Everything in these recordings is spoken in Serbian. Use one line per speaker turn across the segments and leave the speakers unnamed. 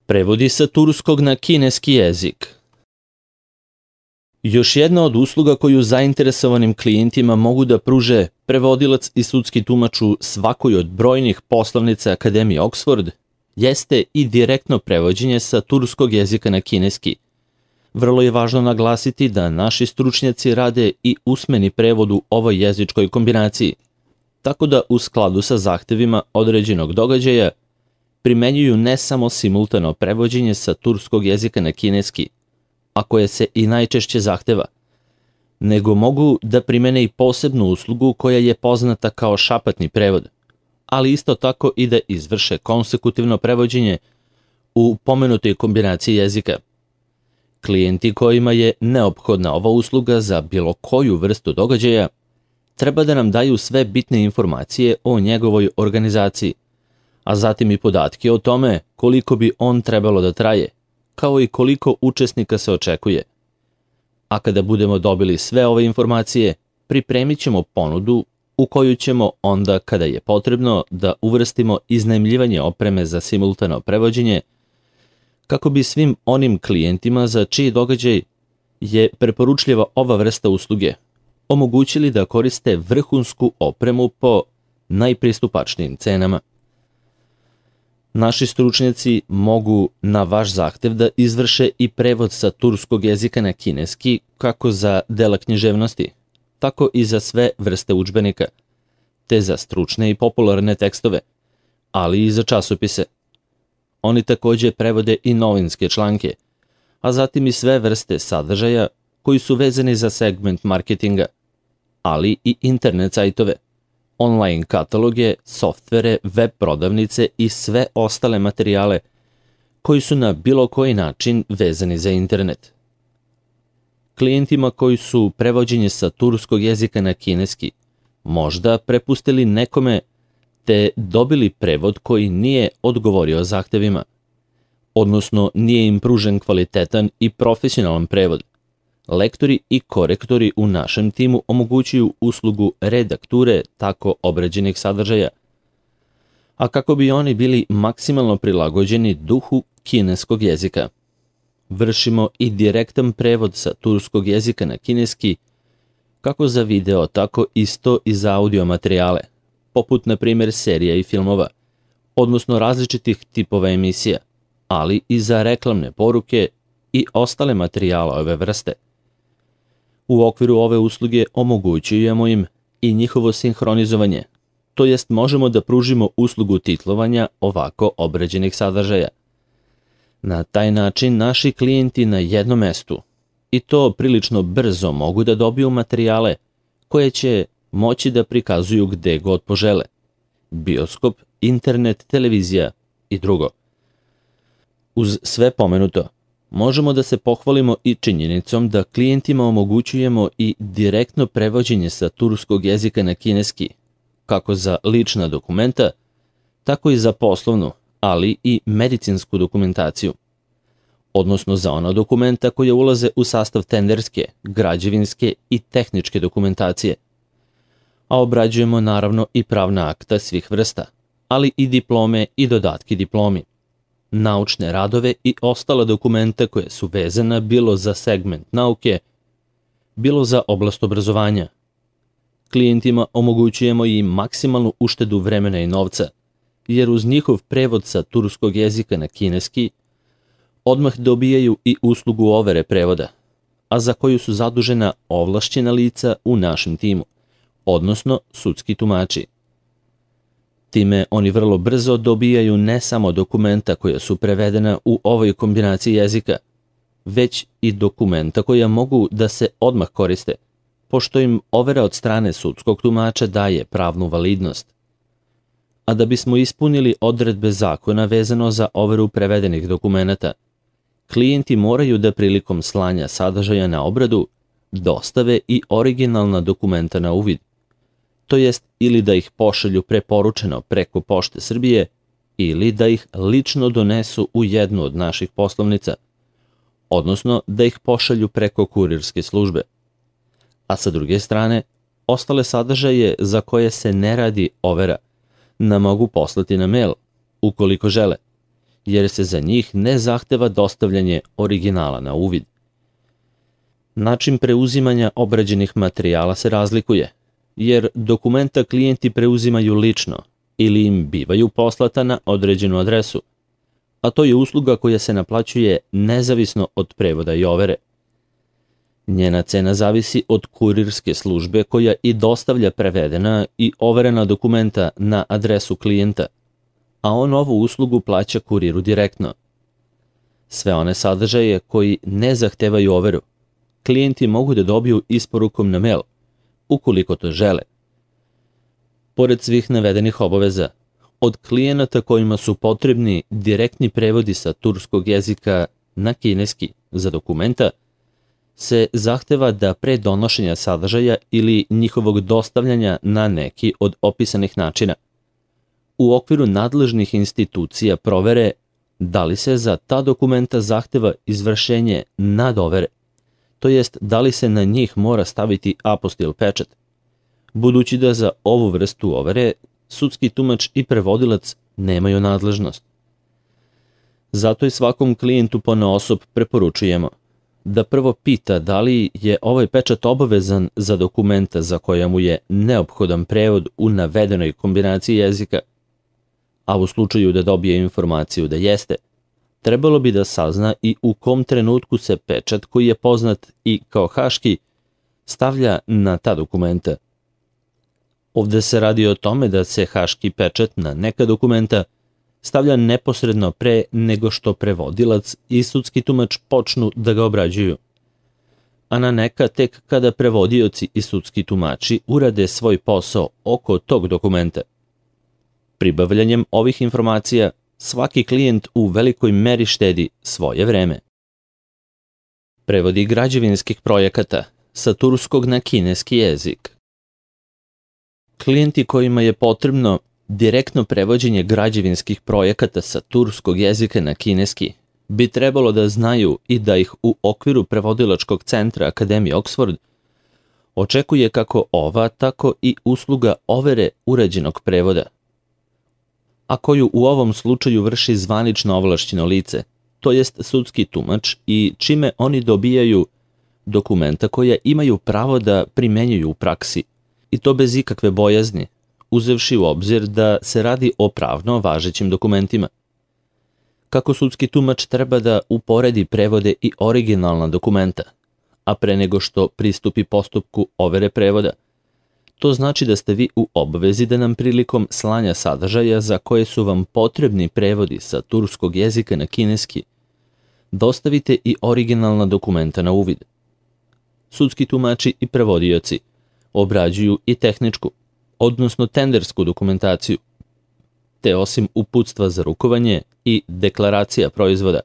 Prevodi sa turskog na kineski jezik. Još jedna od usluga koju zainteresovanim klijentima mogu da pruže prevodilac i sudski tumač u svakoj od brojnih poslovnica Akademije Oxford jeste i direktno prevođenje sa turskog jezika na kineski. Vrlo je važno naglasiti da naši stručnjaci rade i usmeni prevod u ovoj jezičkoj kombinaciji, tako da u skladu sa zahtevima određenog događaja primenjuju ne samo simultano prevođenje sa turskog jezika na kineski, a koje se i najčešće zahteva, nego mogu da primene i posebnu uslugu koja je poznata kao šapatni prevod, ali isto tako i da izvrše konsekutivno prevođenje u pomenutoj kombinaciji jezika. Klijenti kojima je neophodna ova usluga za bilo koju vrstu događaja treba da nam daju sve bitne informacije o njegovoj organizaciji, a zatim i podatke o tome koliko bi on trebalo da traje, kao i koliko učesnika se očekuje. A kada budemo dobili sve ove informacije, pripremit ćemo ponudu u koju ćemo onda, kada je potrebno, da uvrstimo iznajmljivanje opreme za simultano prevođenje, kako bi svim onim klijentima za čiji događaj je preporučljiva ova vrsta usluge omogućili da koriste vrhunsku opremu po najpristupačnijim cenama. Naši stručnjaci mogu na vaš zahtev da izvrše i prevod sa turskog jezika na kineski kako za dela književnosti, tako i za sve vrste udžbenika, te za stručne i popularne tekstove, ali i za časopise. Oni takođe prevode i novinske članke, a zatim i sve vrste sadržaja koji su vezani za segment marketinga, ali i internet sajtove, online kataloge, softvere, web prodavnice i sve ostale materijale koji su na bilo koji način vezani za internet. Klijentima koji su prevođenje sa turskog jezika na kineski možda prepustili nekome te dobili prevod koji nije odgovorio zahtevima, odnosno nije im pružen kvalitetan i profesionalan prevod. Lektori i korektori u našem timu omogućuju uslugu redakture tako obrađenih sadržaja, a kako bi oni bili maksimalno prilagođeni duhu kineskog jezika. Vršimo i direktan prevod sa turskog jezika na kineski, kako za video, tako isto i za audio materijale, poput na primjer serija i filmova, odnosno različitih tipova emisija, ali i za reklamne poruke i ostale materijale ove vrste. U okviru ove usluge omogućujemo im i njihovo sinhronizovanje, to jest možemo da pružimo uslugu titlovanja ovako obrađenih sadržaja. Na taj način naši klijenti na jednom mestu, i to prilično brzo, mogu da dobiju materijale koje će moći da prikazuju gde god požele: bioskop, internet, televizija i drugo. Uz sve pomenuto, možemo da se pohvalimo i činjenicom da klijentima omogućujemo i direktno prevođenje sa turskog jezika na kineski, kako za lična dokumenta, tako i za poslovnu, ali i medicinsku dokumentaciju, odnosno za ona dokumenta koje ulaze u sastav tenderske, građevinske i tehničke dokumentacije. A obrađujemo naravno i pravna akta svih vrsta, ali i diplome i dodatki diplomi, naučne radove i ostala dokumenta koje su vezana bilo za segment nauke, bilo za oblast obrazovanja. Klijentima omogućujemo i maksimalnu uštedu vremena i novca, jer uz njihov prevod sa turskog jezika na kineski odmah dobijaju i uslugu overe prevoda, a za koju su zadužena ovlašćena lica u našem timu, odnosno sudski tumači. Time oni vrlo brzo dobijaju ne samo dokumenta koja su prevedena u ovoj kombinaciji jezika, već i dokumenta koja mogu da se odmah koriste, pošto im overa od strane sudskog tumača daje pravnu validnost. A da bismo ispunili odredbe zakona vezano za overu prevedenih dokumenata, klijenti moraju da prilikom slanja sadržaja na obradu dostave i originalna dokumenta na uvid, to jest ili da ih pošalju preporučeno preko Pošte Srbije ili da ih lično donesu u jednu od naših poslovnica, odnosno da ih pošalju preko kurirske službe. A sa druge strane, ostale sadržaje za koje se ne radi overa nam mogu poslati na mail, ukoliko žele, jer se za njih ne zahteva dostavljanje originala na uvid. Način preuzimanja obrađenih materijala se razlikuje, jer dokumenta klijenti preuzimaju lično ili im bivaju poslata na određenu adresu, a to je usluga koja se naplaćuje nezavisno od prevoda i overe. Njena cena zavisi od kurirske službe koja i dostavlja prevedena i overena dokumenta na adresu klijenta, a on ovu uslugu plaća kuriru direktno. Sve one sadržaje koji ne zahtevaju overu, klijenti mogu da dobiju isporukom na mail, ukoliko to žele. Pored svih navedenih obaveza, od klijenata kojima su potrebni direktni prevodi sa turskog jezika na kineski za dokumenta, se zahteva da pre donošenja sadržaja ili njihovog dostavljanja na neki od opisanih načina, u okviru nadležnih institucija provere da li se za ta dokumenta zahteva izvršenje nadovere, to jest da li se na njih mora staviti apostil pečat, budući da za ovu vrstu overe sudski tumač i prevodilac nemaju nadležnost. Zato i svakom klijentu ponaosob preporučujemo da prvo pita da li je ovaj pečat obavezan za dokumenta za koja mu je neophodan prevod u navedenoj kombinaciji jezika, a u slučaju da dobije informaciju da jeste, trebalo bi da sazna i u kom trenutku se pečat koji je poznat i kao haški stavlja na ta dokumenta. Ovde se radi o tome da se haški pečat na neka dokumenta stavlja neposredno pre nego što prevodilac i sudski tumač počnu da ga obrađuju, a na neka tek kada prevodioci i sudski tumači urade svoj posao oko tog dokumenta. Pribavljanjem ovih informacija svaki klijent u velikoj meri štedi svoje vreme. Prevodi građevinskih projekata sa turskog na kineski jezik. Klijenti kojima je potrebno direktno prevođenje građevinskih projekata sa turskog jezika na kineski bi trebalo da znaju i da ih u okviru prevodilačkog centra Akademije Oxford očekuje kako ova, tako i usluga overe urađenog prevoda, a koju u ovom slučaju vrši zvanično ovlašćeno lice, to jest sudski tumač, i čime oni dobijaju dokumenta koja imaju pravo da primenjuju u praksi, i to bez ikakve bojazni, uzevši u obzir da se radi o pravno važećim dokumentima. Kako sudski tumač treba da uporedi prevode i originalna dokumenta, a pre nego što pristupi postupku overe prevoda, to znači da ste vi u obvezi da nam prilikom slanja sadržaja za koje su vam potrebni prevodi sa turskog jezika na kineski dostavite i originalna dokumenta na uvid. Sudski tumači i prevodioci obrađuju i tehničku, odnosno tendersku dokumentaciju, te osim uputstva za rukovanje i deklaracija proizvoda,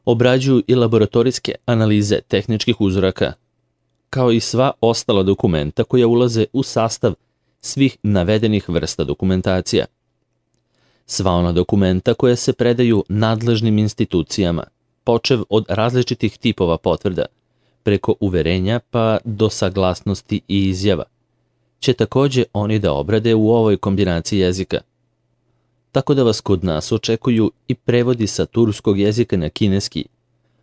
obrađuju i laboratorijske analize tehničkih uzoraka, kao i sva ostala dokumenta koja ulaze u sastav svih navedenih vrsta dokumentacija. Sva ona dokumenta koja se predaju nadležnim institucijama, počev od različitih tipova potvrda, preko uverenja pa do saglasnosti i izjava, će takođe oni da obrade u ovoj kombinaciji jezika. Tako da vas kod nas očekuju i prevodi sa turskog jezika na kineski,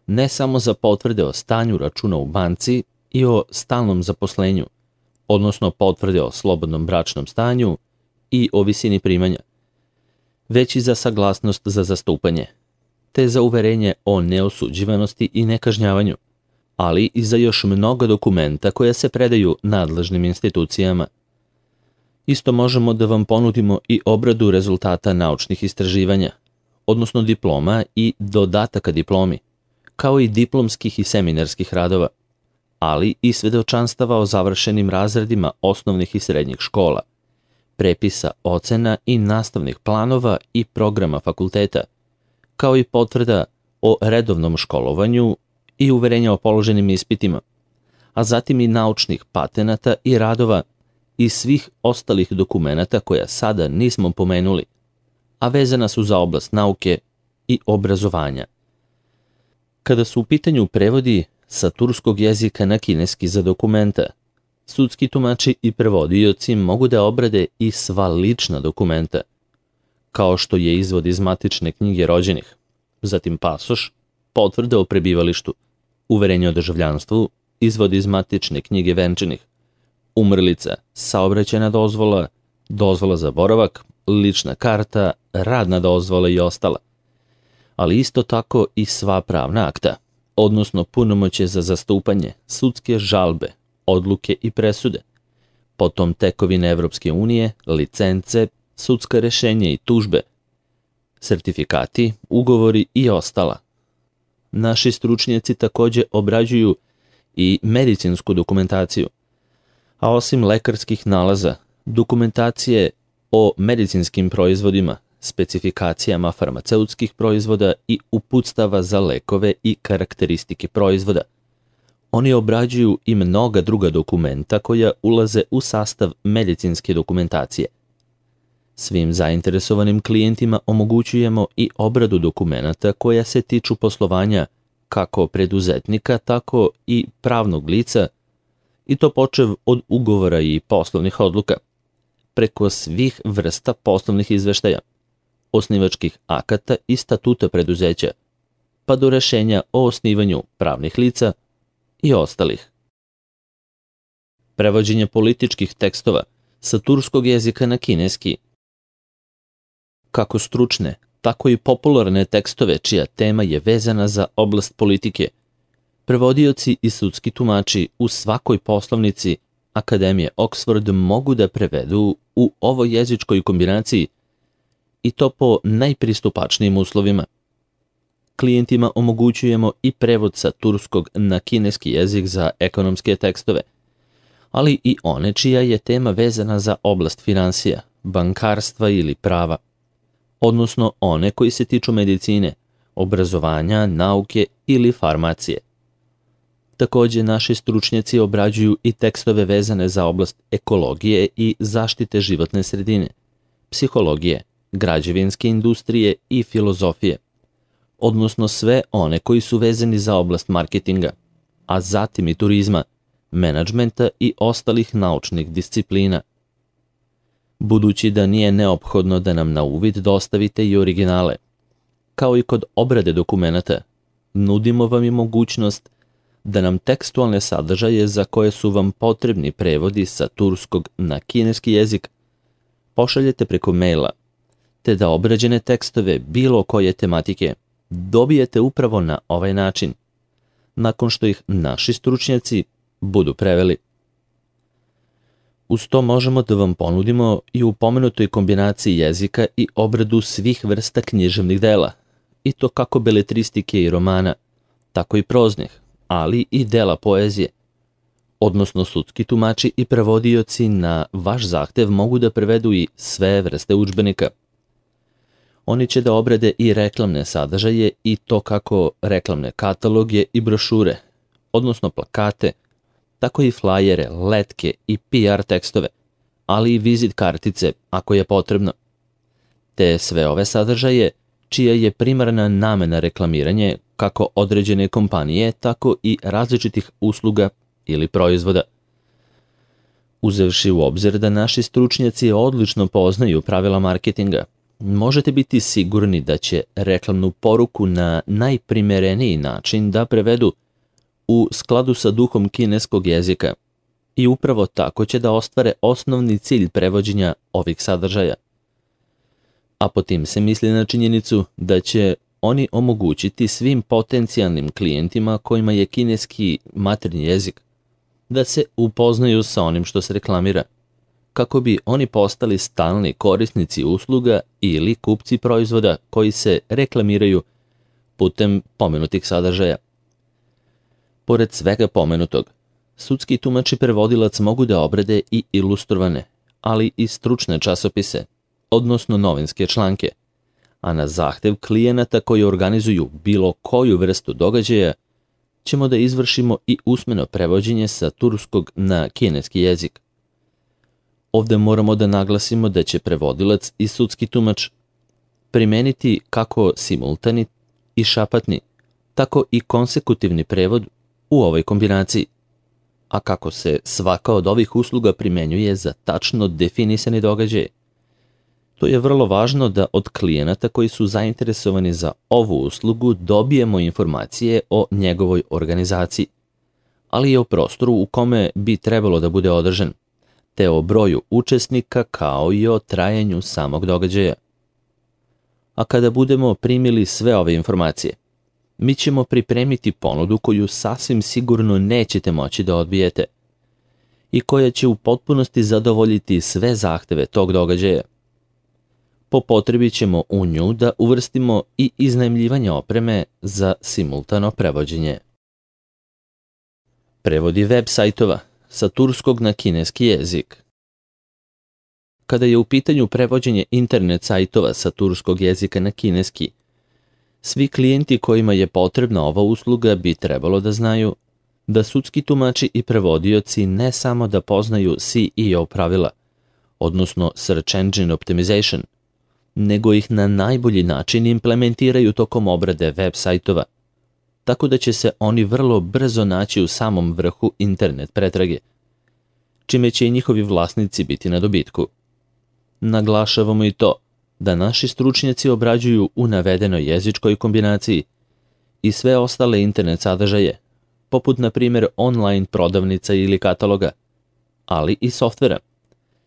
ne samo za potvrde o stanju računa u banci i o stalnom zaposlenju, odnosno potvrde o slobodnom bračnom stanju i o visini primanja, već i za saglasnost za zastupanje, te za uverenje o neosuđivanosti i nekažnjavanju, ali i za još mnogo dokumenta koja se predaju nadležnim institucijama. Isto možemo da vam ponudimo i obradu rezultata naučnih istraživanja, odnosno diploma i dodataka diplomi, kao i diplomskih i seminarskih radova, ali i svedočanstava o završenim razredima osnovnih i srednjih škola, prepisa ocena i nastavnih planova i programa fakulteta, kao i potvrda o redovnom školovanju i uverenja o položenim ispitima, a zatim i naučnih patenata i radova i svih ostalih dokumenata koja sada nismo pomenuli, a vezana su za oblast nauke i obrazovanja. Kada su u pitanju prevodi sa turskog jezika na kineski za dokumenta, sudski tumači i prevodioci mogu da obrade i sva lična dokumenta, kao što je izvod iz matične knjige rođenih, zatim pasoš, potvrda o prebivalištu, uverenje o državljanstvu, izvod iz matične knjige venčanih, umrlica, saobraćajna dozvola, dozvola za boravak, lična karta, radna dozvola i ostala. Ali isto tako i sva pravna akta, odnosno punomoćje za zastupanje, sudske žalbe, odluke i presude, potom tekovine Evropske unije, licence, sudska rešenja i tužbe, sertifikati, ugovori i ostala. Naši stručnjaci takođe obrađuju i medicinsku dokumentaciju, a osim lekarskih nalaza, dokumentacije o medicinskim proizvodima, specifikacijama farmaceutskih proizvoda i uputstava za lekove i karakteristike proizvoda. Oni obrađuju i mnoga druga dokumenta koja ulaze u sastav medicinske dokumentacije. Svim zainteresovanim klijentima omogućujemo i obradu dokumenata koja se tiču poslovanja kako preduzetnika, tako i pravnog lica, i to počev od ugovora i poslovnih odluka, preko svih vrsta poslovnih izveštaja, osnivačkih akata i statuta preduzeća, pa do rešenja o osnivanju pravnih lica i ostalih. Prevođenje političkih tekstova sa turskog jezika na kineski. Kako stručne, tako i popularne tekstove čija tema je vezana za oblast politike, prevodioci i sudski tumači u svakoj poslovnici Akademije Oxford mogu da prevedu u ovoj jezičkoj kombinaciji i to po najpristupačnijim uslovima. Klijentima omogućujemo i prevod sa turskog na kineski jezik za ekonomske tekstove, ali i one čija je tema vezana za oblast finansija, bankarstva ili prava, odnosno one koji se tiču medicine, obrazovanja, nauke ili farmacije. Takođe, naši stručnjaci obrađuju i tekstove vezane za oblast ekologije i zaštite životne sredine, psihologije, građevinske industrije i filozofije, odnosno sve one koji su vezani za oblast marketinga, a zatim i turizma, menadžmenta i ostalih naučnih disciplina. Budući da nije neophodno da nam na uvid dostavite i originale, kao i kod obrade dokumenata, nudimo vam i mogućnost da nam tekstualne sadržaje za koje su vam potrebni prevodi sa turskog na kineski jezik pošaljete preko maila, te da obrađene tekstove bilo koje tematike dobijete upravo na ovaj način, nakon što ih naši stručnjaci budu preveli. Uz to možemo da vam ponudimo i u pomenutoj kombinaciji jezika i obradu svih vrsta književnih dela, i to kako beletristike i romana, tako i proznih, ali i dela poezije, odnosno sudski tumači i prevodioci na vaš zahtev mogu da prevedu i sve vrste udžbenika. Oni će da obrade i reklamne sadržaje i to kako reklamne kataloge i brošure, odnosno plakate, tako i flajere, letke i PR tekstove, ali i vizit kartice ako je potrebno. Te sve ove sadržaje čija je primarna namena reklamiranje kako određene kompanije, tako i različitih usluga ili proizvoda. Uzevši u obzir da naši stručnjaci odlično poznaju pravila marketinga, možete biti sigurni da će reklamnu poruku na najprimereniji način da prevedu u skladu sa duhom kineskog jezika i upravo tako će da ostvare osnovni cilj prevođenja ovih sadržaja. A po tim se misli na činjenicu da će oni omogućiti svim potencijalnim klijentima kojima je kineski maternji jezik da se upoznaju sa onim što se reklamira, kako bi oni postali stalni korisnici usluga ili kupci proizvoda koji se reklamiraju putem pomenutih sadržaja. Pored svega pomenutog, sudski tumač i prevodilac mogu da obrade i ilustrovane, ali i stručne časopise, odnosno novinske članke, a na zahtev klijenata koji organizuju bilo koju vrstu događaja, ćemo da izvršimo i usmeno prevođenje sa turskog na kineski jezik. Ovde moramo da naglasimo da će prevodilac i sudski tumač primeniti kako simultani i šapatni, tako i konsekutivni prevod u ovoj kombinaciji, a kako se svaka od ovih usluga primenjuje za tačno definisani događaj, To je vrlo važno da od klijenata koji su zainteresovani za ovu uslugu dobijemo informacije o njegovoj organizaciji, ali i o prostoru u kome bi trebalo da bude održan, te o broju učesnika kao i o trajanju samog događaja. A kada budemo primili sve ove informacije, mi ćemo pripremiti ponudu koju sasvim sigurno nećete moći da odbijete i koja će u potpunosti zadovoljiti sve zahteve tog događaja. Po potrebi ćemo u nju da uvrstimo i iznajmljivanje opreme za simultano prevođenje. Prevodi web sajtova sa turskog na kineski jezik. Kada je u pitanju prevođenje internet sajtova sa turskog jezika na kineski, svi klijenti kojima je potrebna ova usluga bi trebalo da znaju da sudski tumači i prevodioci ne samo da poznaju SEO pravila, odnosno Search Engine Optimization, nego ih na najbolji način implementiraju tokom obrade web sajtova, tako da će se oni vrlo brzo naći u samom vrhu internet pretrage, čime će i njihovi vlasnici biti na dobitku. Naglašavamo i to da naši stručnjaci obrađuju u navedenoj jezičkoj kombinaciji i sve ostale internet sadržaje, poput na primjer online prodavnica ili kataloga, ali i softvera,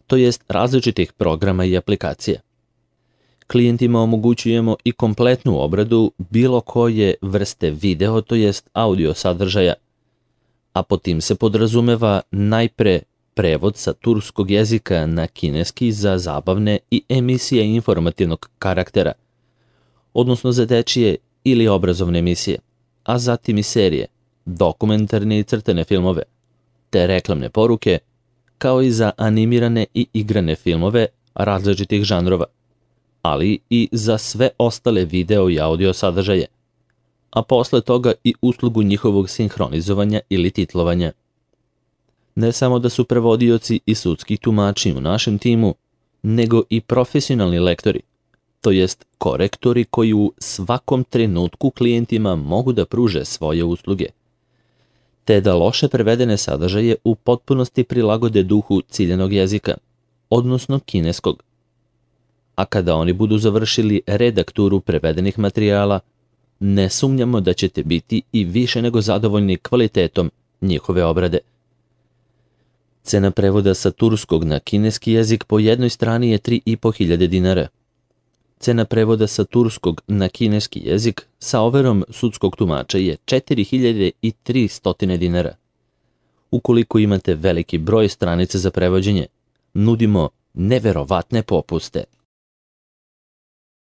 to jest različitih programa i aplikacija. Klijentima omogućujemo i kompletnu obradu bilo koje vrste video, to jest audio sadržaja, a pod tim se podrazumeva najpre prevod sa turskog jezika na kineski za zabavne i emisije informativnog karaktera, odnosno za dečije ili obrazovne emisije, a zatim i serije, dokumentarne i crtane filmove, te reklamne poruke, kao i za animirane i igrane filmove različitih žanrova, ali i za sve ostale video i audio sadržaje, a posle toga i uslugu njihovog sinhronizovanja ili titlovanja. Ne samo da su prevodioci i sudski tumači u našem timu, nego i profesionalni lektori, to jest korektori koji u svakom trenutku klijentima mogu da pruže svoje usluge, te da loše prevedene sadržaje u potpunosti prilagode duhu ciljanog jezika, odnosno kineskog. A kada oni budu završili redakturu prevedenih materijala, ne sumnjamo da ćete biti i više nego zadovoljni kvalitetom njihove obrade. Cena prevoda sa turskog na kineski jezik po jednoj strani je 3.500 dinara. Cena prevoda sa turskog na kineski jezik sa overom sudskog tumača je 4.300 dinara. Ukoliko imate veliki broj stranica za prevođenje, nudimo neverovatne popuste.